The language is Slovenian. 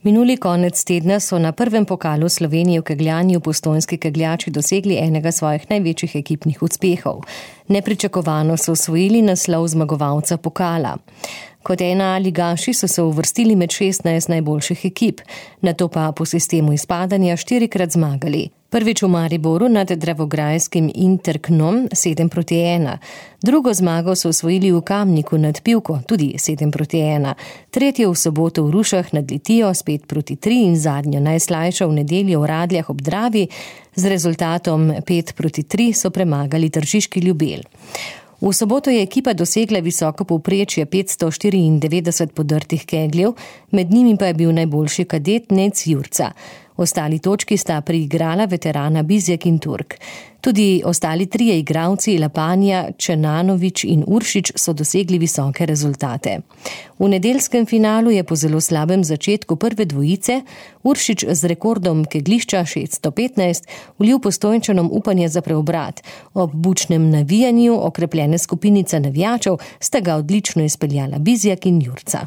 Minuli konec tedna so na prvem pokalu Slovenije v kegljanju postojnski kegljači dosegli enega svojih največjih ekipnih uspehov. Nepričakovano so osvojili naslov zmagovalca pokala. Kot ena ligaši so se uvrstili med 16 najboljših ekip, nato pa po sistemu izpadanja 4-krat zmagali. Prvič v Mariboru nad dravograjskim Interknom 7-1. Drugo zmago so osvojili v Kamniku nad Pivko, tudi 7-1. Tretjo v soboto v Rušah nad Litijo 5-3 in zadnjo najslajšo v nedeljo v Radljah ob Dravi z rezultatom 5-3 so premagali tržiški Ljubelj. V soboto je ekipa dosegla visoko povprečje 594 podrtih kegljev, med njimi pa je bil najboljši kadet Nec Jurca. Ostali točki sta priigrala veterana Bizjak in Turk. Tudi ostali trije igralci Lapanja, Čenanović in Uršič so dosegli visoke rezultate. V nedeljskem finalu je po zelo slabem začetku prve dvojice Uršič z rekordom keglišča 615 vlil Postojnčanom upanje za preobrat. Ob bučnem navijanju okrepljene skupinice navijačev sta ga odlično izpeljala Bizjak in Jurca.